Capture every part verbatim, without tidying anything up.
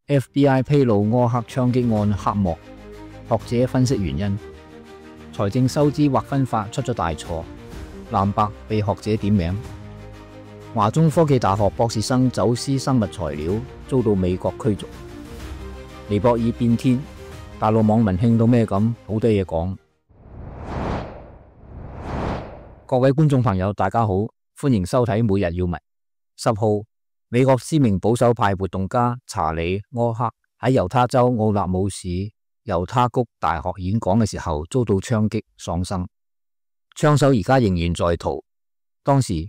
F B I 披露柯克槍擊案黑幕，學者分析原因。財政收支劃分法出咗大錯，藍白被學者點名。華中科技大學博士生走私生物材料，遭到美國驅逐。尼泊爾變天，大陸網民興到咩咁，好多嘢講。各位觀眾朋友，大家好，歡迎收睇每日要聞。十號，美國知名保守派活動家查理·柯克喺猶他州奧納姆市猶他谷大學演講嘅時候遭到槍擊喪生，槍手而家仍然在逃。當時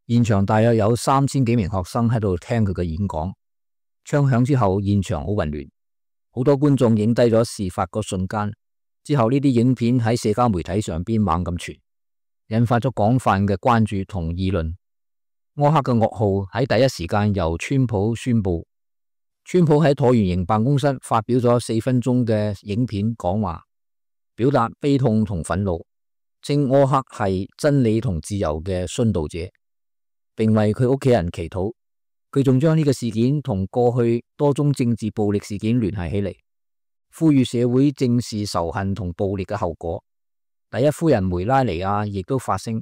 現場大約有三千幾名學生喺度聽佢嘅演講，槍響之後現場好混亂，好多觀眾影低咗事發個瞬間。之後呢啲影片喺社交媒體上邊猛咁傳，引發咗廣泛嘅關注同議論。柯克嘅噩耗喺第一時間由川普宣布。川普喺橢圓形辦公室發表咗四分鐘嘅影片講話，表達悲痛同憤怒，稱柯克係真理同自由嘅殉道者，並為佢屋企人祈禱。佢仲將呢個事件同過去多宗政治暴力事件聯繫起嚟，呼籲社會正視仇恨同暴力嘅後果。第一夫人梅拉尼亞亦都發聲，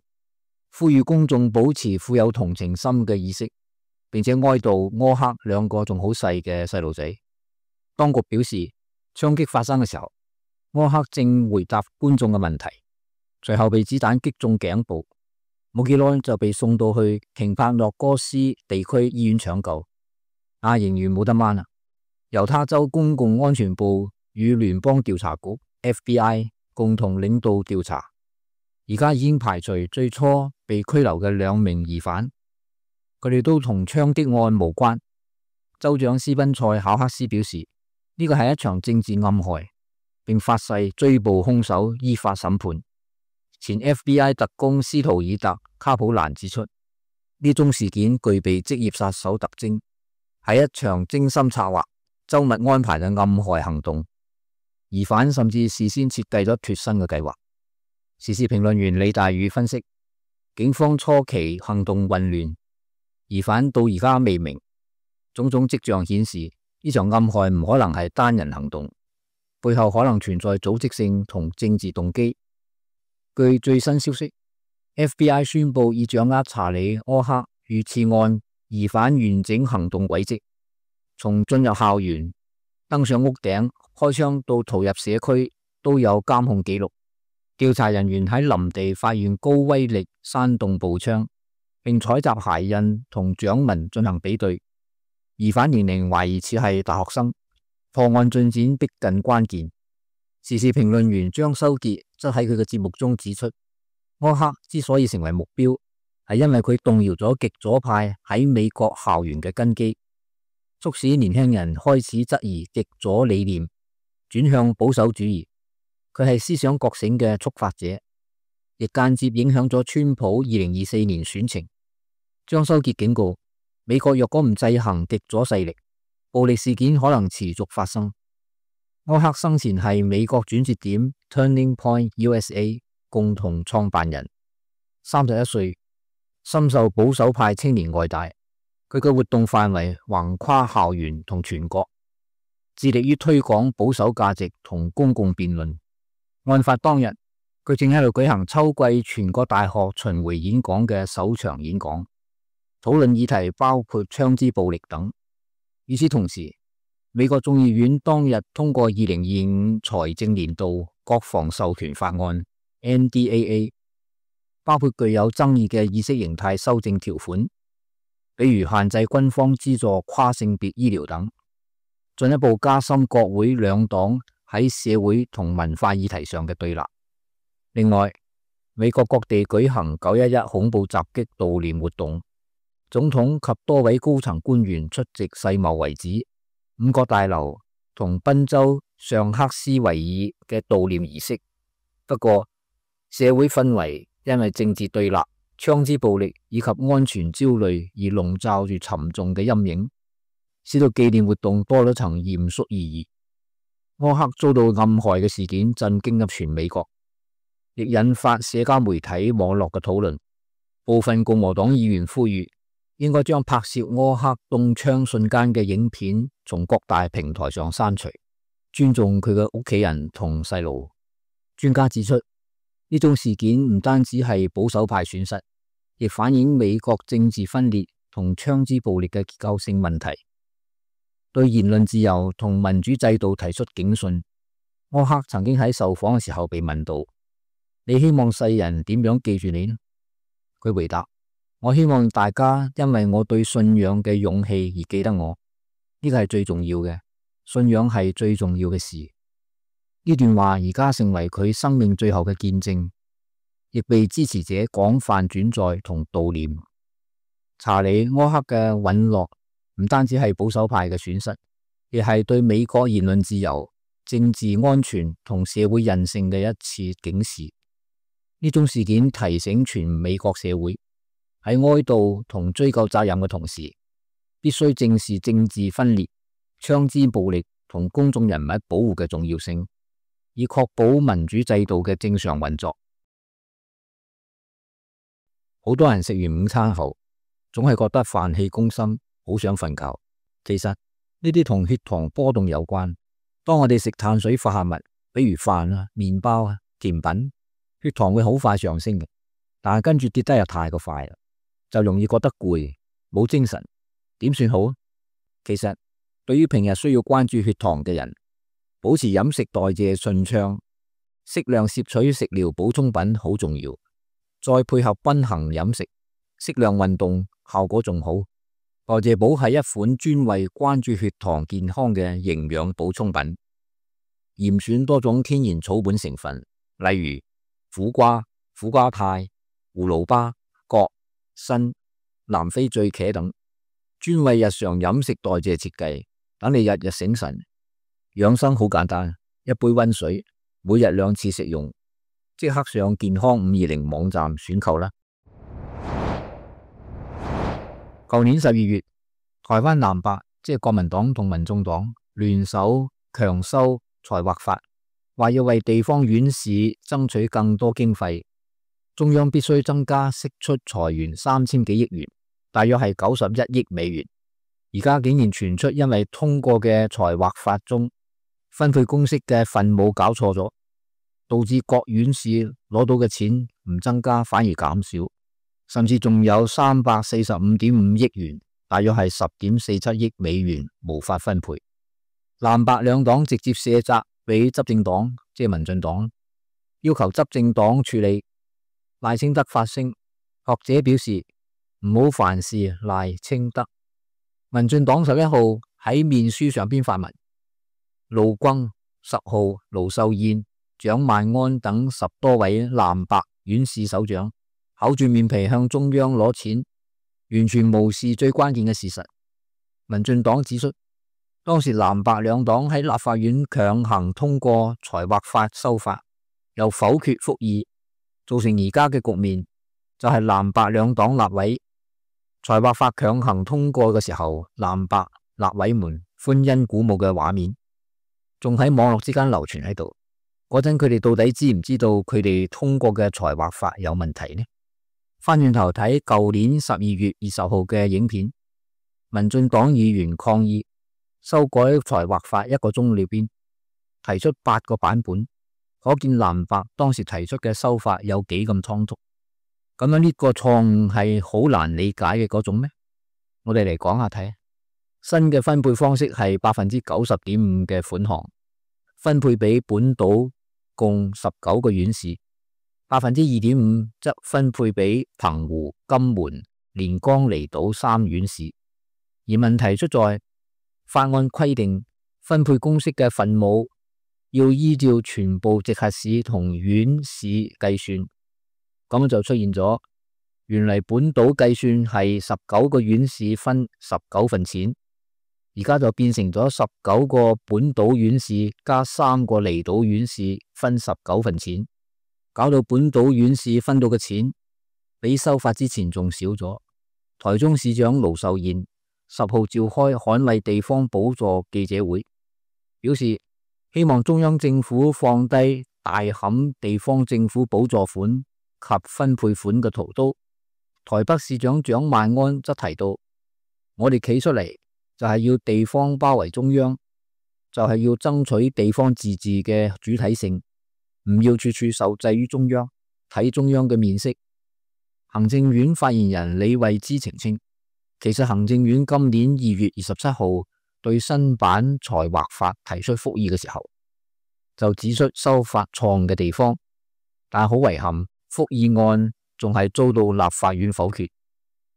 呼籲公眾保持富有同情心嘅意識，並且哀悼柯克兩個仲好細嘅細路仔。當局表示，槍擊發生嘅時候，柯克正回答觀眾嘅問題，隨後被子彈擊中頸部，冇幾耐就被送到去瓊帕諾哥斯地區醫院搶救，啊，仍然冇得掹啊！猶他州公共安全部與聯邦調查局 F B I 共同領導調查，而家已經排除最初被拘留嘅兩名疑犯，佢哋都同槍擊案無關。州長斯賓塞考克斯表示，呢個係一場政治暗害，並發誓追捕兇手，依法審判。前 F B I 特工斯圖爾特卡普蘭指出，呢宗事件具備職業殺手特徵，係一場精心策劃、周密安排嘅暗害行動。疑犯甚至事先設計咗脫身嘅計劃。時事評論員李大宇分析，警方初期行動混亂，疑犯到而家未明，種種跡象顯示呢場暗害唔可能係單人行動，背後可能存在組織性同政治動機。據最新消息， F B I 宣布已掌握查理·柯克遇刺案疑犯完整行動軌跡，從進入校園、登上屋頂、開槍到逃入社區都有監控記錄。調查人員喺林地發現高威力山洞步槍，並採集鞋印同掌紋進行比對。疑犯年齡懷疑似係大學生，破案進展逼近關鍵。時事評論員張修傑則喺佢嘅節目中指出，柯克之所以成為目標，係因為佢動搖咗極左派喺美國校園嘅根基，促使年輕人開始質疑極左理念，轉向保守主義。佢係思想覺醒嘅觸發者，亦間接影響咗川普二零二四年選情。張修傑警告，美國若果唔制衡極左勢力，暴力事件可能持續發生。柯克生前係美國轉折點 Turning Point U S A 共同創辦人，三十一歲，深受保守派青年愛戴。佢嘅活動範圍橫跨校園同全國，致力於推廣保守價值同公共辯論。案發當日，佢正喺度舉行秋季全國大學巡迴演講嘅首場演講，討論議題包括槍支暴力等。與此同時，美國眾議院當日通過二零二五財政年度國防授權法案 N D A A， 包括具有爭議嘅意識形態修正條款，比如限制軍方資助跨性別醫療等，進一步加深國會兩黨喺社會同文化議題上嘅對立。另外，美國各地舉行九一一恐怖襲擊悼念活動，總統及多位高層官員出席世貿遺址、五角大樓同賓州尚克斯維爾嘅悼念儀式。不過，社會氛圍因為政治對立、槍支暴力以及安全焦慮而籠罩住沉重嘅陰影，使到紀念活動多咗層嚴肅意義。柯克遭到暗害嘅事件震驚咗全美國，亦引發社交媒體網絡嘅討論。部分共和黨議員呼籲應該將拍攝柯克中槍瞬間嘅影片從各大平台上刪除，尊重佢嘅屋企人同細路。專家指出，呢種事件唔單止係保守派損失，亦反映美國政治分裂同槍支暴力嘅結構性問題，對言論自由同民主制度提出警訊。柯克曾經喺受訪嘅時候被問到：你希望世人點樣記住你呢？佢回答：我希望大家因為我對信仰嘅勇氣而記得我，呢個係最重要嘅，信仰係最重要嘅事。呢段話而家成為佢生命最後嘅見證，亦被支持者廣泛轉載同悼念。查理·柯克嘅隕落唔單止係保守派嘅損失，亦係對美國言論自由、政治安全同社會韌性嘅一次警示。呢種事件提醒全美國社會，喺哀悼同追究責任嘅同時，必須正視政治分裂、槍支暴力同公眾人物保護嘅重要性，以確保民主制度嘅正常運作。好多人食完午餐後，總係覺得飯氣攻心，好想瞓覺。其實呢啲同血糖波動有關。當我哋食碳水化合物，比如飯啊、麵包啊、甜品，血糖會好快上升嘅，但係跟住跌得又太過快啦，就容易覺得攰、冇精神。點算好？其實對於平日需要關注血糖嘅人，保持飲食代謝順暢，適量攝取食療補充品好重要，再配合均衡飲食、適量運動，效果仲好。代謝寶係一款專為關注血糖健康嘅營養補充品，嚴選多種天然草本成分，例如苦瓜、苦瓜肽、葫蘆巴、葛、參、南非醉茄等，專為日常飲食代謝設計，等你日日醒神。養生好簡單，一杯溫水，每日兩次食用，即刻上健康五二零網站選購啦。舊年十二月，台灣藍白即係國民黨同民眾黨聯手強修財劃法，話要為地方縣市爭取更多經費，中央必須增加釋出財源三千幾億元，大約係九十一億美元。而家竟然傳出因為通過嘅財劃法中分配公式嘅分母搞錯咗，導致各縣市攞到嘅錢唔增加反而減少，甚至仲有三百四十五點五億元，大約係十點四七億美元無法分配。藍白兩黨直接卸責俾執政黨，即係民進黨，要求執政黨處理。賴清德發聲，學者表示唔好凡事賴清德。民進黨十一號喺面書上邊發文，盧轟、十號、盧秀燕、蔣萬安等十多位藍白縣市首長厚住面皮向中央攞錢，完全無視最關鍵嘅事實。民進黨指出，當時藍白兩黨喺立法院強行通過財劃法修法，又否決復議，造成而家嘅局面，就係藍白兩黨立委財劃法強行通過嘅時候，藍白立委們歡欣鼓舞嘅畫面，仲喺網絡之間流傳喺度。嗰陣佢哋到底知唔知道佢哋通過嘅財劃法有問題呢？翻轉頭睇舊年十二月二十號嘅影片，民進黨議員抗議修改財劃法一個鐘裏邊提出八個版本，可見藍白當時提出嘅修法有幾咁倉促。咁樣呢個錯誤係好難理解嘅嗰種咩？我哋嚟講下睇，新嘅分配方式係百分之九十點五嘅款項分配俾本島共十九個縣市，百分之二點五則分配俾澎湖、金門、連江離島三縣市。而問題出在法案規定分配公式嘅分母要依照全部直轄市同縣市計算。咁就出現咗，原嚟本島計算係十九個縣市分十九份錢，而家就變成咗十九個本島縣市加三個離島縣市分十九份錢，搞到本島縣市分到嘅錢比修法之前仲少咗。台中市長盧秀燕十號召開捍衛地方補助記者會，表示希望中央政府放低大砍地方政府補助款及分配款嘅屠刀，台北市長蔣萬安則提到，我哋企出嚟就係要地方包圍中央，就係要爭取地方自治嘅主體性，唔要處處受制於中央，睇中央嘅面色。行政院發言人李慧芝澄清，其實行政院今年二月二十七號對新版財劃法提出覆議嘅時候，就指出修法錯誤嘅地方，但好遺憾，覆議案仲係遭到立法院否決。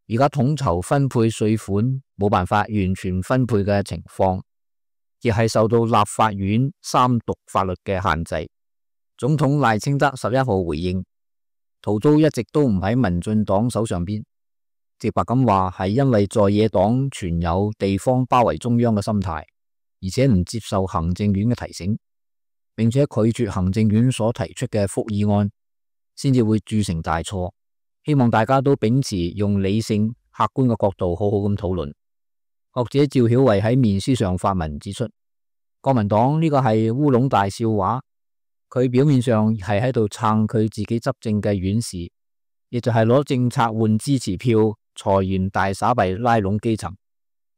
而家統籌分配稅款冇辦法完全分配嘅情況，亦係受到立法院三讀法律嘅限制。總統賴清德十一號回應，逃租一直都唔喺民進黨手上邊，直白咁話係因為在野黨存有地方包圍中央嘅心態，而且唔接受行政院嘅提醒，並且拒絕行政院所提出嘅覆議案，先至會鑄成大錯。希望大家都秉持用理性、客觀嘅角度好好咁討論。學者趙曉慧喺面書上發文指出，國民黨呢個係烏龍大笑話。佢表面上係喺度撐佢自己執政嘅院士，亦就係攞政策換支持票，財源大撒幣拉攏基層，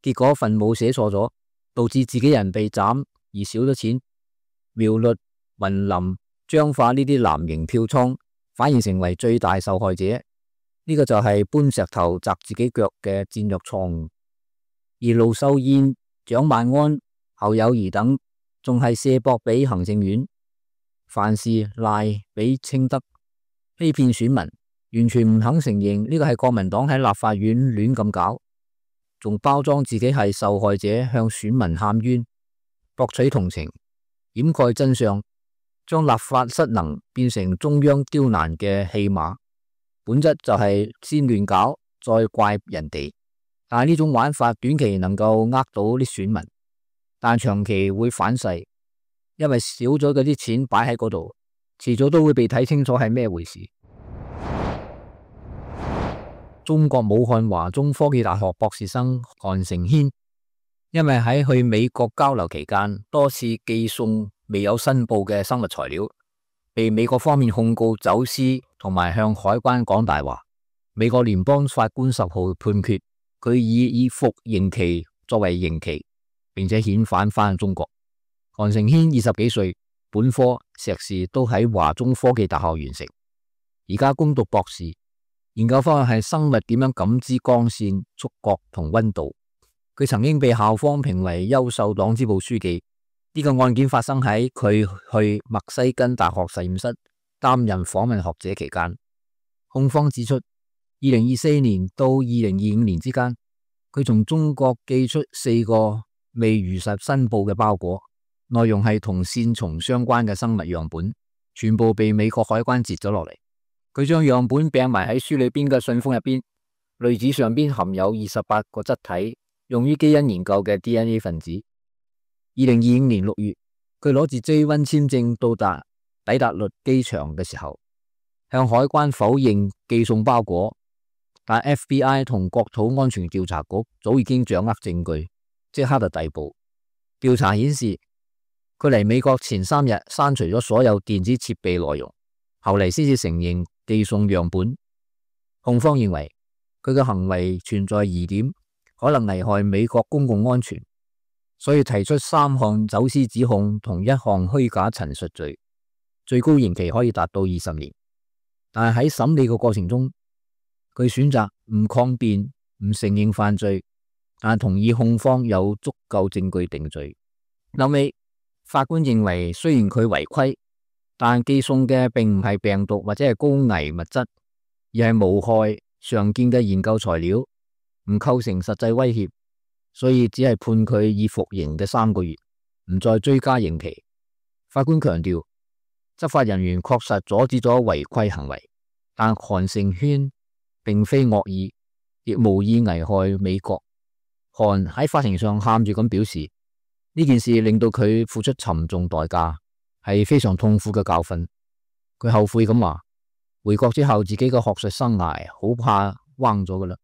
結果份母寫錯咗，導致自己人被斬而少咗錢。苗栗、雲林、彰化呢啲藍營票倉反而成為最大受害者，呢、這個就係搬石頭砸自己腳嘅戰略錯誤。而盧秀燕、蔣萬安、侯友宜等仲係卸膊俾行政院，凡事賴俾清德，欺騙選民，完全唔肯承認呢個係國民黨喺立法院亂咁搞，仲包裝自己係受害者向選民喊冤，博取同情，掩蓋真相，將立法失能變成中央刁難嘅戲碼，本質就係先亂搞再怪人哋。但係呢種玩法短期能夠呃到啲選民，但長期會反噬，因為少咗嗰啲錢擺喺嗰度，遲早都會被睇清楚係咩回事。中國武漢華中科技大學博士生韓成軒，因為喺去美國交流期間多次寄送未有申報嘅生物材料，被美國方面控告走私同埋向海關講大話。美國聯邦法官十號判決佢以以服刑期作為刑期，並且遣返返中國。韓成軒二十幾歲，本科、碩士都喺華中科技大學完成，而家攻讀博士，研究方向係生物點樣感知光線、觸覺同溫度。佢曾經被校方評為優秀黨支部書記。呢、這個案件發生喺佢去墨西根大學實驗室擔任訪問學者期間。控方指出，二零二四年到二零二五年之間，佢從中國寄出四個未如實申報嘅包裹，內容係同線蟲相關嘅生物樣本，全部被美國海關截咗落嚟。佢將樣本掟埋喺書裏邊嘅信封入邊，濾紙上邊含有二十八個質體，用於基因研究嘅 D N A 分子。二零二五年六月，佢攞住 J 一 簽證到達抵達律機場嘅時候，向海關否認寄送包裹。但 F B I 同國土安全調查局早已經掌握證據，即刻就逮捕。調查顯示，佢嚟美國前三日刪除咗所有電子設備內容，後嚟先至承認寄送樣本。控方認為佢嘅行為存在疑點，可能危害美國公共安全，所以提出三項走私指控同一項虛假陳述罪，最高刑期可以達到二十年。但係喺審理嘅過程中，佢選擇唔抗辯、唔承認犯罪，但同意控方有足夠證據定罪。後尾法官認為，雖然佢違規，但寄送嘅並唔係病毒或者係高危物質，而係無害常見嘅研究材料，唔構成實際威脅，所以只係判佢以服刑嘅三個月，唔再追加刑期。法官強調，執法人員確實阻止咗違規行為，但韓成軒並非惡意，亦無意危害美國。韓喺法庭上喊住咁表示，呢件事令到佢付出沉重代價，係非常痛苦嘅教訓。佢後悔咁話，回國之後自己嘅學術生涯好怕彎咗噶啦。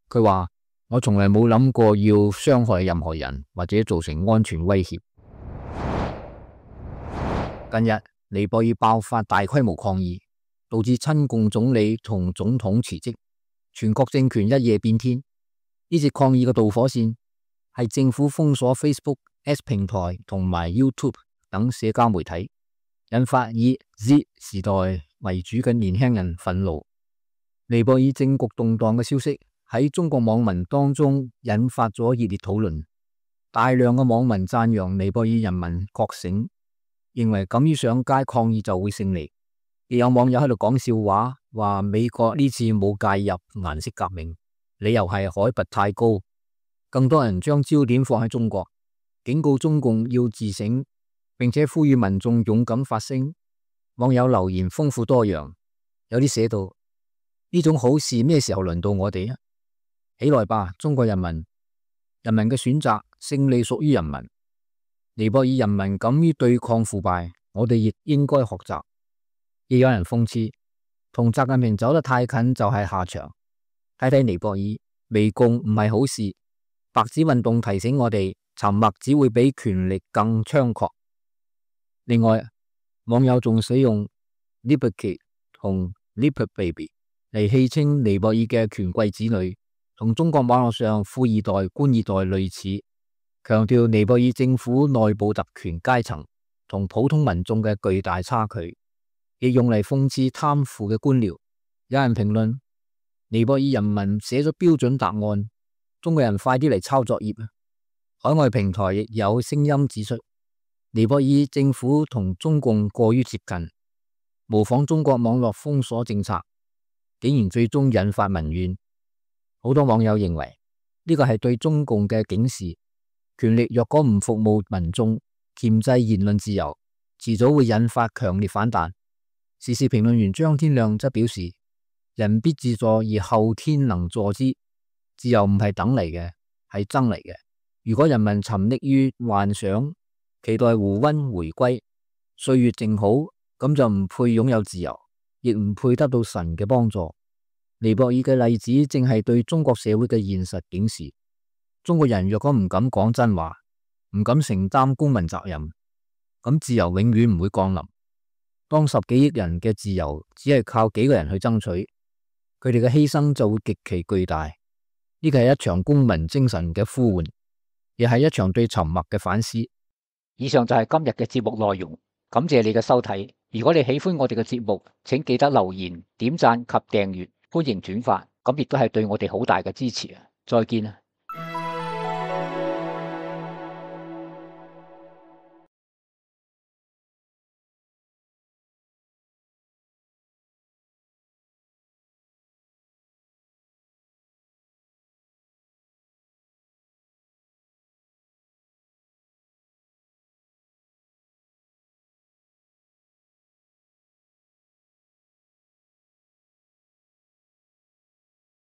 佢話，我從來冇諗過要傷害任何人或者造成安全威脅。近日尼泊爾爆發大規模抗議，導致親共總理同總統辭職。全國政權一夜變天。呢次抗議嘅導火線係政府封鎖 Facebook、X 平台同埋 YouTube 等社交媒體，引發以 Z 時代為主嘅年輕人憤怒。尼泊爾政局動盪嘅消息喺中國網民當中引發咗熱烈討論，大量嘅網民讚揚尼泊爾人民覺醒，認為敢於上街抗議就會勝利。亦有網友喺度講笑話，話美國呢次冇介入顏色革命，理由係海拔太高。更多人將焦點放喺中國，警告中共要自省，並且呼籲民眾勇敢發聲。網友留言豐富多樣，有啲寫到：呢種好事咩時候輪到我哋啊？起來吧，中國人民！人民嘅選擇，勝利屬於人民。尼泊爾人民敢於對抗腐敗，我哋亦應該學習。亦有人諷刺，同習近平走得太近就係下場。睇睇尼泊爾，媚共唔係好事。白紙運動提醒我哋，沉默只會比權力更猖狂。另外，網友仲使用 Leopard Kid 同 Leopard Baby 嚟戲稱尼泊爾嘅權貴子女，同中國網絡上富二代、官二代類似，強調尼泊爾政府內部特權階層同普通民眾嘅巨大差距，亦用嚟諷刺貪腐嘅官僚。有人評論：尼泊爾人民寫咗標準答案，中國人快啲嚟抄作業。海外平台亦有聲音指出，尼泊爾政府同中共過於接近，模仿中國網絡封鎖政策，竟然最終引發民怨。好多網友認為呢個係對中共嘅警示，權力若果唔服務民眾，鉗制言論自由，遲早會引發強烈反彈。時事評論員張天亮則表示：人必自助，而後天能助之。自由唔係等嚟嘅，係爭嚟嘅。如果人民沉溺於幻想，期待胡溫回歸，歲月靜好，咁就唔配擁有自由，亦唔配得到神嘅幫助。尼泊爾嘅例子正係對中國社會嘅現實警示。中國人若果唔敢講真話，唔敢承擔公民責任，咁自由永遠唔會降臨。當十幾億人嘅自由只係靠幾個人去爭取，佢哋嘅犧牲就會極其巨大。呢個係一場公民精神嘅呼喚，亦係一場對沉默嘅反思。以上就係今日嘅節目內容，感謝你嘅收睇。如果你喜歡我哋嘅節目，請記得留言、點讚及訂閱，歡迎轉發，咁亦都係對我哋好大嘅支持啊！再見啊！